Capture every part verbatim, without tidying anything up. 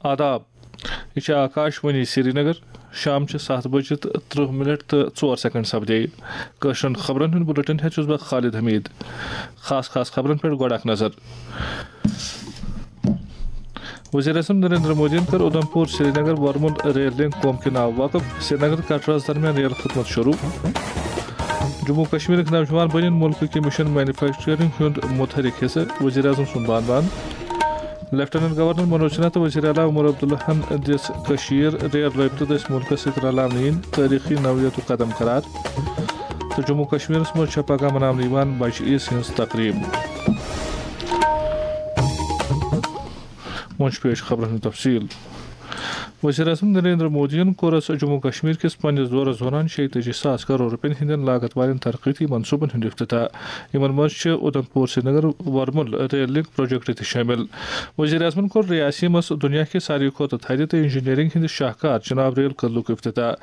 آداب، یہِ چھِ آکاش وانی سرینگر۔ شام چھِ ستھ بجہِ تہٕ ترٕہ منٹ تہٕ ژور سیکنڈ سپدے۔ کٲشرٮ۪ن خبرن ہُنٛد بُلٹن ہٮ۪تھ چھُس بہٕ خالد حمید۔ خاص خاص خبرن پٮ۪ٹھ گۄڈٕ اکھ نظر۔ وزیر اعظم نریندر مودیَن کٔر اُدھمپور سرینگر ورمُل ریل لنک قوم کے ناو وقف، سرینگر کٹراہَس درمیان ریل خدمت شروع۔ جموں کشمیرٕکۍ نوجوان بنن ملکٕکۍ مشن مینوفیکچرنگ ہُنٛد متحرک حصہٕ، وزیر اعظم سُنٛد بان بان۔ لیفٹیننٹ گورنر منوج سنہا تہٕ وزیر اعلیٰ عمر عبداللہَن دِژ کشمیر ریل رٲبطہٕ دٔسۍ ملکس سۭتۍ رلاونہٕ یِنۍ تٲریخی نوعیتُک قدم قرار۔ تہٕ جموں کشمیرس منٛز چھےٚ پگاہ مناونہٕ یِوان بجہِ عیٖز ہٕنٛز تقریب۔ وۄنۍ چھُ پیش خبرن ہُنٛد تفصیل۔ وزیر اعظم نریندر مودیَن کوٚرُس جموں کشمیر کِس پننِس دورس دوران شیٚیہِ تٲجی ساس کرور رۄپین ہٕنٛدٮ۪ن لاگت والٮ۪ن ترقیتی منصوبن ہُنٛد افتتاح۔ یِمن منٛز چھِ Udhampur Srinagar Warmul rail link project تہِ شٲمِل۔ وزیر اعظمن کوٚر ریاسی منٛز دُنیا کہِ ساروی کھۄتہٕ تھدِ تہٕ انجینئرنگ ہٕنٛدِ شاہکار چناب ریل کدلُک افتتاح۔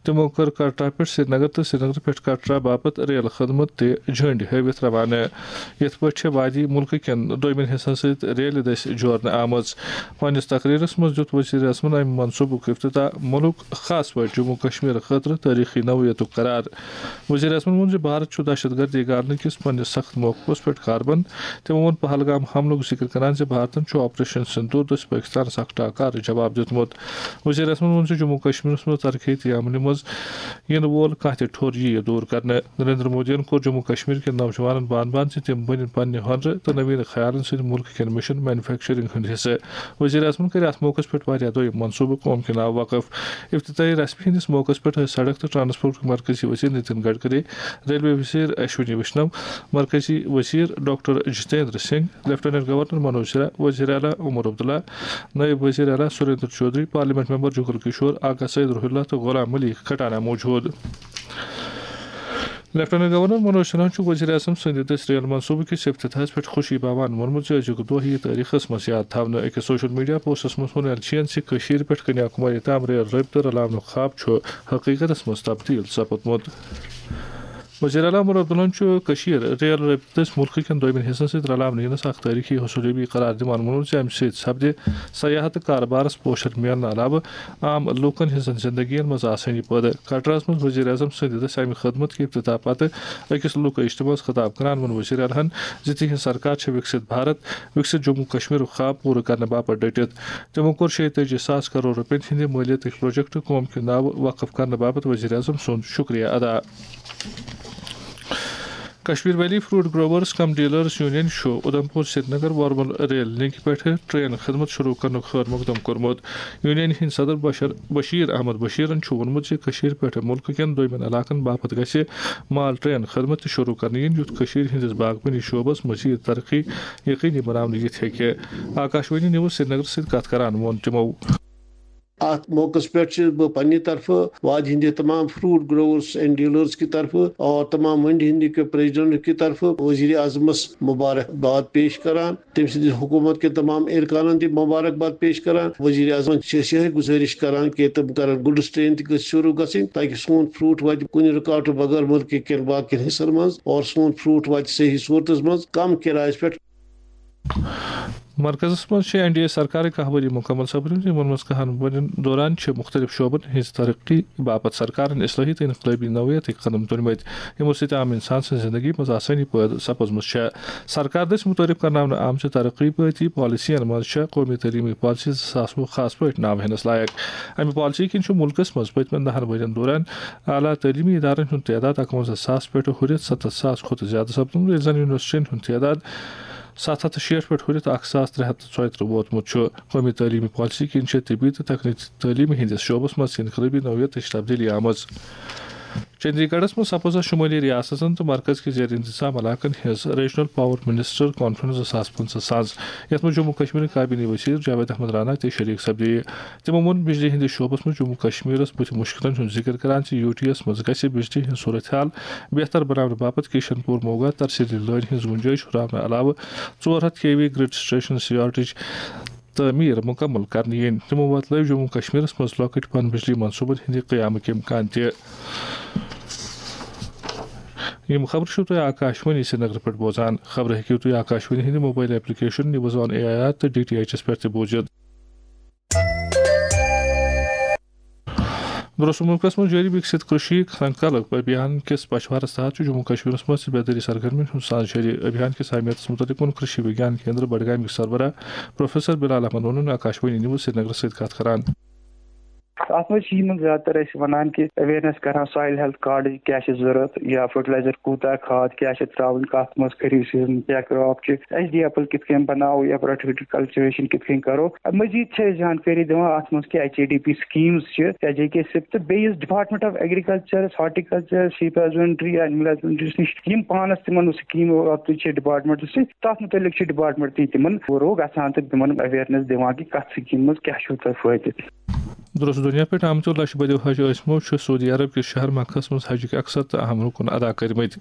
تِمو کٔر کٹرا پٮ۪ٹھ سرینگر تہٕ سرینگر پٮ۪ٹھ کٹرا باپتھ ریل خدمت تہِ جھنڈ ہٲوِتھ روانہٕ۔ یِتھ پٲٹھۍ چھےٚ وادی مُلکہٕ کٮ۪ن دوٚیمٮ۪ن حصن سۭتۍ ریلہِ دٔسۍ جوڑنہٕ آمٕژ۔ پننِس تقریرس منٛز دیُت وزیر اعظمن امہِ منصوبُک افتتاح مُلک، خاص پٲٹھۍ جموں کشمیر خٲطرٕ تٲریخی نوعیتُک قرار۔ وزیر اعظمن ووٚن زِ بھارت چھُ دہشت گردی گالنہٕ کِس پننِس سخت موقفس پٮ۪ٹھ کاربند۔ تِمو ووٚن پہلگام حملُک ذکر کران زِ بھارتن چھُ آپریشن سندور دٔسۍ پٲکستانس اکھ ٹاکار جواب دیُتمُت۔ وزیر اعظمن ووٚن زِ جموں کشمیرس منٛز ترقیتی عملہِ منٛز یِنہٕ وول کانٛہہ تہِ ٹھوٚر یِیہِ دوٗر کرنہٕ۔ نریندر مودیَن کوٚر جموں کشمیر کٮ۪ن نوجوانن بان بان زِ تِم بٔنِن پننہِ ہُنرٕ تہٕ نوین خیالن سۭتۍ مُلکہٕ کٮ۪ن مشن مینوفیکچرنگ ہُنٛد حصہٕ۔ وزیر اعظمن کٔرۍ اتھ موقعس پٮ۪ٹھ واریاہ دوٚیم منصوبہٕ قوم کے ناو وقف۔ افتتاحی رسمہِ ہٕنٛدِس موقعس پٮ۪ٹھ ٲسۍ سڑک تہٕ ٹرانسپورٹ مرکزی وزیر نتن گڈکری، ریلوے وزیر اشونی ویشنو، مرکزی وزیر doctor Jitendra Singh, lieutenant governor Manoj Sinha, وزیر اعلیٰ عمر عبداللہ، نائب وزیر اعلیٰ Surinder Choudhary, parliament member Jugal Kishore, Agha Syed Ruhullah تہٕ غلام ملیک کھٹانہ موجود۔ لیفٹیننٹ گورنر منوج سنہا چھُ وزیر اعظم سٕنٛدِ دٔسۍ ریل منصوبہٕ کِس افتتاحس پٮ۪ٹھ خوشی باوان ووٚنمُت زِ أزیُک دۄہ یِیہِ تٲریخس منٛز یاد تھاونہٕ۔ أکِس سوشل میڈیا پوسٹس منٛز ووٚن ایل چین زِ کٔشیٖر پٮ۪ٹھ کنیا کماری تام ریل رٲبطہٕ رلاونُک خواب چھُ حقیقتس منٛز تبدیل سپُدمُت۔ وزیر اعلیٰ عمر عبداللہَن چھُ کٔشیٖر ریل رٲبطہٕ دٔسۍ مُلکہٕ کٮ۪ن دوٚیمٮ۪ن حصن سۭتۍ رلاونہٕ یِنس اکھ تٲریخی حصوٗل یٲبی قرار دِوان ووٚنمُت زِ امہِ سۭتۍ سپدِ سیاحت تہٕ کارٕبارس پوشر میلنہٕ علاوٕ عام لوٗکن ہٕنٛزن زِندگین منٛز آسٲنی پٲدٕ۔ کٹراہَس منٛز وزیر اعظم سٕنٛدِ دٔسۍ امہِ خدمت کہِ افتتاح پتہٕ أکِس لوٗکہٕ اجتماعس خطاب کران ووٚن وزیر اعلیٰ ہَن زِ تِہنٛز سرکار چھِ وکسِت بھارت، وکسِت جموں کشمیرُک خواب پوٗرٕ کرنہٕ باپتھ ڈٔٹِتھ۔ تِمو کوٚر شیٚیہِ تٲجی ساس کرور رۄپین ہٕنٛدِ مٲلیتٕکۍ پروجیکٹ قوم کہِ ناوٕ وقف کرنہٕ باپتھ وزیر اعظم سُنٛد شکریہ ادا۔ کشمیر ویلی فروٹ گروورز کم ڈیلرز یونین چھُ اُدھمپور سرینگر ورمل ریل لنکہِ پٮ۪ٹھ ٹرین خدمت شروع کرنُک خیر مقدم کوٚرمُت۔ یونین ہٕنٛدۍ صدر بشر، بشیر احمد بشیرن چھُ ووٚنمُت زِ کٔشیٖر پٮ۪ٹھ مُلکہٕ کٮ۪ن دوٚیمٮ۪ن علاقن باپتھ گژھِ مال ٹرین خدمت تہِ شروع کرنہٕ یِنۍ، یُتھ کٔشیٖر ہٕنٛدِس باغبٲنی شعبس مزید ترقی یقینی بناونہٕ یِتھ ہیٚکہِ۔ آکاشوانی نیوز سرینگر سۭتۍ کتھ کران ووٚن تِمو۔ اتھ موقعس پٮ۪ٹھ چھُس بہٕ پننہِ طرفہٕ وادی ہٕنٛدِ تمام فروٹ گروورز اینڈ ڈیلرز کہِ طرفہٕ اور تمام منڈی ہٕنٛدِ کہِ پریزیڈنٹ کہِ طرفہٕ وزیر اعظمس مبارک باد پیش کران، تٔمۍ سٕنٛدِ حکوٗمت کہِ تمام ارکانن تہِ مبارک باد پیش کران۔ وزیر اعظمن چھِ أسۍ یِہے گُزٲرِش کران کہِ تِم کرن گُڈٕس ٹرین تہِ گٔژھ شروٗع گژھٕنۍ، تاکہِ سون فروٹ واتہِ کُنہِ رُکاوٹہٕ بغٲر مُلکہٕ کٮ۪ن باقین حصن منٛز اور سون فروٹ واتہِ صحیح صورتس منٛز، کم کرایس پٮ۪ٹھ۔ مرکزس منٛز چھِ این ڈی اے سرکارٕکۍ کاہ ؤری مکمل سپدمٕتۍ، یِمن منٛز کاہن ؤرین دوران چھِ مُختٔلِف شعبن ہٕنٛز ترقی باپتھ سرکارن اصلاحی تہٕ انقلٲبی نوعیتٕکۍ قدم تُلمٕتۍ، یِمو سۭتۍ عام انسان سٕنٛز زندگی منٛز آسٲنی پٲدٕ سپٕزمٕژ چھےٚ۔ سرکار دٔسۍ مُتعارف کرناونہٕ آمژِ ترقی پٲتی پالیسین منٛز چھےٚ قومی تعلیمی پالیسی زٕ ساس وُہ خاص پٲٹھۍ ناو ہینس لایق۔ امہِ پالیسی کِنۍ چھُ مُلکس منٛز پٔتمٮ۪ن دہن ؤرین دوران اعلیٰ تعلیمی ادارن ہُنٛد تعداد اکونزہ ساس پٮ۪ٹھ ہُرِتھ ستتھ ساس کھۄتہٕ زیادٕ سپدمُت، ییٚلہِ زن یونیورسٹین ہُنٛد تعداد ستھ ہتھ تہٕ شیٹھ پٮ۪ٹھ ہُرِتھ اکھ ساس ترٛےٚ ہتھ تہٕ ژۄیہِ ترٕٛہ ووتمُت چھُ۔ قومی تعلیمی پالیسی کِنۍ چھےٚ طبی تہٕ تکنیکی تعلیمی ہٕنٛدِس شعبس منٛز انقلٲبی نوعیتٕچ تبدیلی آمٕژ۔ چندی گڑھس منٛز سپٕز شمٲلی ریاستن تہٕ مرکز کہِ زیر انتظام علاقن ہٕنٛز ریجنل پاور منسٹر کانفرنس زٕ ساس پٕنٛژٕہ ساز، یتھ منٛز جموں کشمیرٕکۍ کابینی وزیر جاوید احمد رانا تہِ شریک سپدے۔ تِمو ووٚن بجلی ہٕنٛدِس شعبس منٛز جموں کشمیرس بُتھِ مُشکلن ہُنٛد ذِکر کران زِ یوٗ ٹی یَس منٛز گژھِ بجلی ہٕنٛز صورتحال بہتر بناونہٕ باپتھ کشن پوٗر موگا ترسیلی لٲنہِ ہٕنٛز گُنجٲیِش ہُراونہٕ علاوٕ ژور ہتھ کے وی گرڈ سٹیشن سیارٹٕچ تعمیٖر مُکمل کرنہٕ یِنۍ۔ تِمو وۄتلٲوۍ جموں کشمیرس منٛز لۄکٕٹۍ پن بجلی منصوٗبن ہٕنٛدِ قیامٕکۍ امکان تہِ۔ یِم خبرٕ چھِو تُہۍ آکاشوانی سرینگر پٮ۪ٹھ بوزان۔ خبرٕ ہیٚکِو تُہۍ آکاشوانی ہٕنٛدِ mobile application news on A I R تہٕ ڈی ٹی ایچ ایس پٮ۪ٹھ تہِ بوٗزِتھ۔ درست ملکس منٛز جٲری وِکسِت کٔشی سنکلپ ابھیان کِس پچھوارس تحت چھُ جموں کشمیرس منٛز تہِ بیدٲری سرگرمین ہُنٛد ساز جٲری۔ ابھیان کِس اہمیتس متعلق ووٚن کٔشی وگیان کیندر بڈگامیُک سربراہ پروفیسر بلال احمد ونُن آکاشوانی نیوز سرینگرس سۭتۍ کتھ کران۔ اتھ منٛز چھِ یِمن زیادٕ تر أسۍ ونان کہِ اویرنس کران سویل ہیلتھ کارڈٕچ کیٛاہ چھِ ضروٗرت یا فرٹیلایزر کوٗتاہ، کھاد کیٛاہ چھِ ترٛاوٕنۍ، کتھ منٛز خریف سیزن کیٛاہ، کراپ چھِ، ایچ ڈی ایپل کتھ کٔنۍ بناوو یا پروڈکٹیوٹی کلچویشن کتھ کٔنۍ کرو۔ مزید چھِ أسۍ زانکٲری دِوان اتھ منٛز کہِ H A D P schemes چھِ یا جے کے سِپ تہٕ بیٚیہِ یُس department of agriculture, horticulture, sheep husbandry یا اینیمل ہسبنڈری نِش یِم پانس تِمن سکیمو رٲبطہٕ چھِ ڈپارٹمنٹ سۭتۍ، تتھ متعلق چھِ ڈپارٹمنٹ تہِ تِمن فروغ گژھان تہٕ تِمن اویرنس دِوان کہِ کتھ سکیمہِ منٛز کیٛاہ چھُو تۄہہِ فٲیدٕ۔ درست دُنیا پٮ۪ٹھ آمتیو لچھ بدیو حج ٲسمو چھِ سعودی عرب کِس شہر مکہس منٛز حجٕکۍ اکثر تہٕ اہم رُکُن ادا کٔرمٕتۍ۔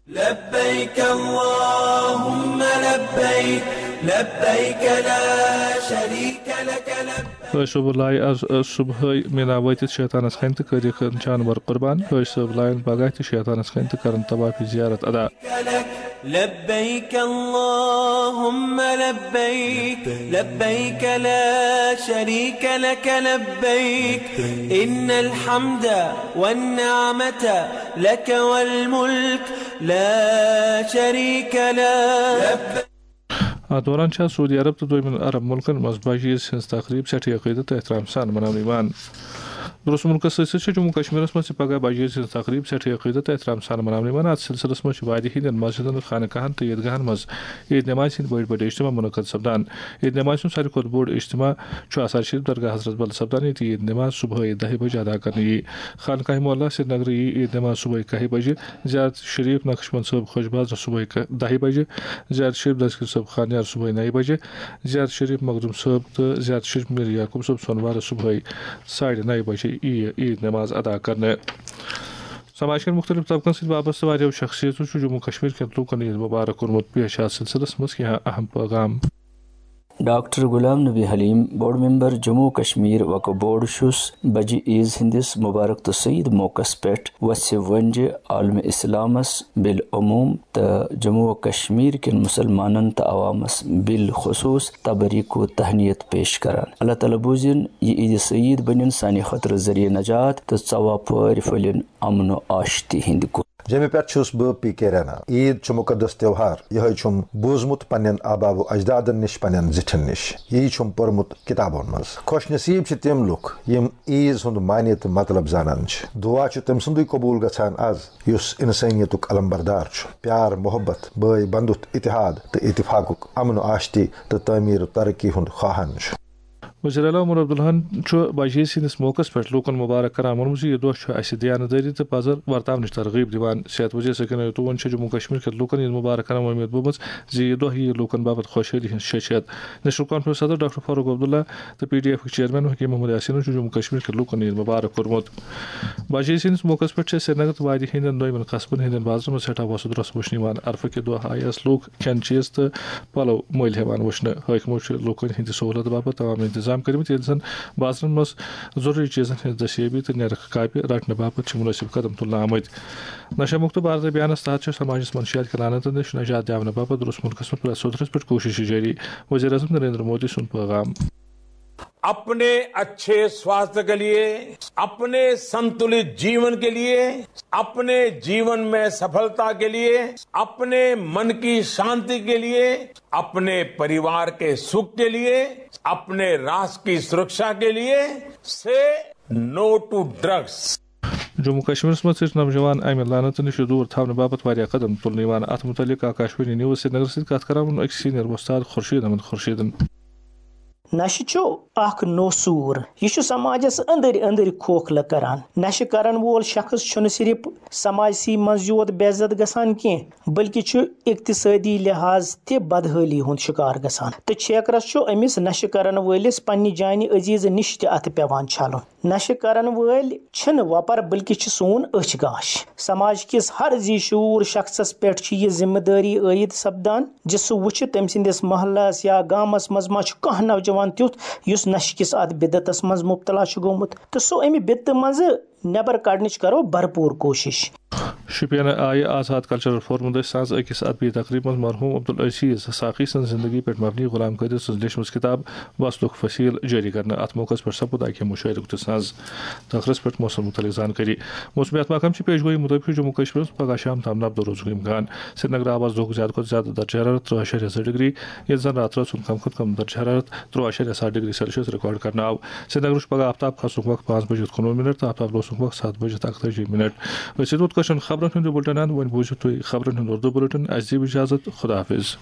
لبيك اللهم لبيك لبيك لا شريك لك لبيك. حٲج صٲب لایہِ از صبحٲے مینا وٲتِتھ شیطانس کھنہِ تہٕ کٔرِکھ جانور قربان۔ حٲج صٲب لایَن پگاہ تہِ شیطانس کھنہِ تہٕ کرن طوافِ زیارت ادا۔ لبيك اللهم لبيك لبيك لا شريك لك لبيك إن الحمد والنعمة لك والملك لا شريك لك. اتھ دوران چھےٚ سعودی عرب تہٕ دوٚیمٮ۪ن عرب مُلکن منٛز بجہِ عیز ہٕنٛز تقریٖب سٮ۪ٹھٕے عقیدت تہٕ احترام سان مناونہٕ یِوان۔ درست مُلکس سۭتۍ سۭتۍ چھےٚ جموں کشمیرس منٛز تہِ پگاہ بجہِ عیز ہٕنٛز تقریٖب سٮ۪ٹھٕے عقیدت تہٕ احترام سان مناونہٕ یِوان۔ اتھ سلسلس منٛز چھِ وادی ہٕنٛدٮ۪ن مسجدن، خانقاہن تہٕ عیدگاہن منٛز عیٖد نمازِ ہٕنٛدۍ بٔڑۍ بٔڑۍ اجتماع منعقد سپدان۔ عیٖد نمازِ ہُنٛد ساروی کھۄتہٕ بوٚڑ اجتماع چھُ آثار شریف درگاہ حضرت بل سپدان، ییٚتہِ عیٖد نماز صبحٲے دَہہِ بجہِ ادا کرنہٕ یِیہِ۔ خانقاہ معلیٰ سرینگرٕ یِیہِ عیٖد نماز صبحٲے کاہہِ بجہِ، زیارت شریف نقشبند صٲب خۄش بازرٕ صبحٲے ک-، دَہہِ بجہِ، زیارت شریف دستگیر صٲب خانیار صبحٲے نَیہِ بجہِ، زیارت شریف مخدوم صٲب تہٕ زیارت شریف میر یعقوب صٲب سۄنوارٕ صبحٲے ساڑِ نَیہِ بجہِ یِیہِ عیٖد نماز ادا کرنہٕ۔ سماج کٮ۪ن مُختٔلِف طبقن سۭتۍ وابستہٕ واریاہو شخصیتو چھُ جموں کشمیر کٮ۪ن لوٗکن عیٖد مُبارک کوٚرمُت۔ پیش چھِ اَتھ سلسلس منٛز کینٛہہ اہم پٲغام۔ ڈاکٹر غلام نبی حلیم، بورڈ ممبر جموں کشمیر وقف بورڈ، چھُس بجہِ عیز ہٕنٛدِس مبارک تہٕ سعید موقعس پٮ۪ٹھ وژھِ ونجہِ عالم اسلامس بالعموم تہٕ جموں و کشمیر کٮ۪ن مسلمانن تہٕ عوامس بالخصوص تبریک و تہنیت پیش کران۔ اللہ تعالیٰ بوٗزِن یہِ عیدِ سعید بٔنِن سانہِ خٲطرٕ ذٔریعہٕ نجات تہٕ ژۄوُہ پھٲرۍ پھٔلِن امن و آشتی ہٕنٛدِ گُل۔ جیٚمہِ پٮ۪ٹھ چھُس بہٕ پی کے رینا۔ عیٖد چھُ مُقدس تیوہار، یِہوٚے چھُم بوٗزمُت پننٮ۪ن آبا و اجدادن نِش، پننٮ۪ن زِٹھٮ۪ن نِش۔ یی چھُم پوٚرمُت کِتابن منٛز۔ خۄش نصیٖب چھِ تِم لُکھ، یِم عیٖز ہُنٛد معنی تہٕ مطلب زانان چھِ۔ دُعا چھُ تٔمۍ سُنٛدُے قبوٗل گژھان از، یُس اِنسٲنیتُک علمبردار چھُ، پیار، محبت، بٲے بندُت، اتحاد تہٕ اتفاقُک، امن و آشتی تہٕ تعمیٖر و ترقی ہُنٛد خواہان چھُ۔ وزیر اعلیٰ عمر عبداللہن چھُ بجہِ عیز ہٕنٛدِس موقعس پٮ۪ٹھ لوٗکن مبارک کران ووٚنمُت زِ یہِ دۄہ چھُ اسہِ دیانتدٲری تہٕ پزر ورتاونٕچ ترغیب دِوان۔ صحت وزیر سکینہ یتوٗون چھِ جموں کشمیر کٮ۪ن لوٗکن عیٖد مبارک کران وۄمید بوٚومُت زِ یہِ دۄہ یِیہِ لوٗکن باپتھ خۄشحٲلی ہٕنٛز شیٚچھ ہٮ۪تھ۔ نیشنل کانفرنس صدر ڈاکٹر فاروق عبداللہ تہٕ P D ایفٕکۍ chairman Hakim Muhammad یاسینن چھُ جموں کشمیر کٮ۪ن لوٗکن عیٖد مبارک کوٚرمُت۔ بجہِ عیز ہٕنٛدِس موقعس پٮ۪ٹھ چھِ سرینگر تہٕ وادی ہٕنٛدٮ۪ن دۄیمٮ۪ن قصبن ہٕنٛدٮ۪ن بازرن منٛز سٮ۪ٹھاہ وۄسہٕ درۄسہٕ وٕچھنہٕ یِوان۔ عرفہٕ کہِ دۄہ آیہِ اَسہِ لوٗکھ کھٮ۪ن چیٖز تہٕ پلو مٔلۍ ہٮ۪وان وٕچھنہٕ۔ حٲکمو چھِ لوٗکن ہٕنٛدِ سہوٗلت باپتھ تمام انتظام کٔرمٕتۍ، ییٚلہِ زن بازرن منٛز ضروٗری چیٖزن ہٕنٛز دٔستیٲبی تہٕ نرخ کاپہِ رٹنہٕ باپتھ چھِ مُنٲسِب قدم تُلنہٕ آمٕتۍ۔ نشہ مُکت بھارت ابھیانس تحت چھِ سماجس منشیات کہِ لعنتن نِش نجات دِیاونہٕ باپتھ درست مُلکس منٛز پرٛٮ۪تھ سطحس پٮ۪ٹھ کوٗششہٕ جٲری۔ وزیر اعظم نریندر مودی سُنٛد پیغام۔ अपने अच्छे स्वास्थ्य के लिए, अपने संतुलित जीवन के लिए, अपने जीवन में सफलता के लिए, अपने मन की शांति के लिए, अपने परिवार के सुख के लिए, अपने राष्ट्र की सुरक्षा के लिए, say no to drugs. Jammu کشمیرس منٛز ژٔٹۍ نوجوان امہِ لعنتہٕ نِش دوٗر تھاونہٕ باپتھ واریاہ قدم تُلنہٕ یِوان۔ اتھ مُتعلق آکاشوانی نیوز سرینگرس سۭتۍ کتھ کران ووٚن أکۍ سینئر وۄستاد خورشید احمد خورشیدن۔ نشہٕ چھُ اکھ نوسوٗر۔ یہِ چھُ سماجس أنٛدٕرۍ أنٛدٕرۍ کھوکھلہٕ کران۔ نشہٕ کرن وول شخص چھُنہٕ صرف سماجسٕے منٛز یوت بے عزت گژھان کینٛہہ، بلکہِ چھُ اقتصٲدی لحاظ تہِ بدحٲلی ہُنٛد شکار گژھان۔ تہٕ چھیکرس چھُ أمِس نشہٕ کرن وٲلِس پننہِ جانہِ عزیزٕ نِش تہِ اتھٕ پٮ۪وان چھلُن۔ نشہٕ کرن وٲلۍ چھِنہٕ وۄپر، بلکہِ چھِ سون أچھ گاش۔ سماج کِس ہر زی شعوٗر شخصس پٮ۪ٹھ چھِ یہِ ذمہٕ دٲری عٲید سپدان زِ سُہ وٕچھِ تٔمۍ سٕنٛدِس محلس یا گامس منٛز ما چھُ کانٛہہ نوجوان تیُتھ یُس نشہٕ کِس اتھ بدعتس منٛز مبتلا چھُ گوٚمُت، تہٕ سُہ امہِ بدعتہٕ منٛزٕ نٮ۪بر کڑنٕچ کرو بھرپوٗر کوٗشش۔ شوپین آیہِ آزاد کلچرل فورم دٔسۍ ساز أکِس ادبی تقریبہِ منٛز مرحوم عبدالعزیز ساقی سٕنٛز زندگی پٮ۪ٹھ مبنی غلام قٲدر سٕنٛز لیچھمٕژ کتاب وصلُک فصیل جٲری کرنہٕ۔ اتھ موقعس پٮ۪ٹھ سپُد اکہِ مُشٲعرُک تہِ ساز۔ تخرس پٮ۪ٹھ موسم متعلق زانکٲری۔ موسمیات محکمہٕ چھِ پیش گویی مطٲبق چھُ جموں کشمیرس پگہہ شام تام نبدٕ روزُک امکان۔ سرینگر آبس دۄہُک زیادٕ کھۄتہٕ زیادٕ درجہ حرارت ترٛہ اعشاریہ زٕ ڈگری، ییٚلہِ زن راتہٕ رٲژ ہُنٛد کم کھۄتہٕ کم درجہ حرارت ترٛہ اعشاریہ ستھ ڈگری سیلسیس ریکارڈ کرنہٕ آو۔ سرینگرس چھُ پگہہ آفتاب کھسنُک وقت پانٛژھ بجے تہٕ کُنوُہ منٹ تہٕ آفتاب لوسنُک وقت ستھ بجے تہٕ اکتٲجی منٹ۔ أسۍ چھِ توٚت کٲشرٮ۪ن خبرن ہُنٛد یہِ بُلٹن اند۔ وۄنۍ بوٗزِو تُہۍ خبرن ہُنٛد اردو بُلٹن۔ اَسہِ دِیِو اجازت۔ خدا حافظ۔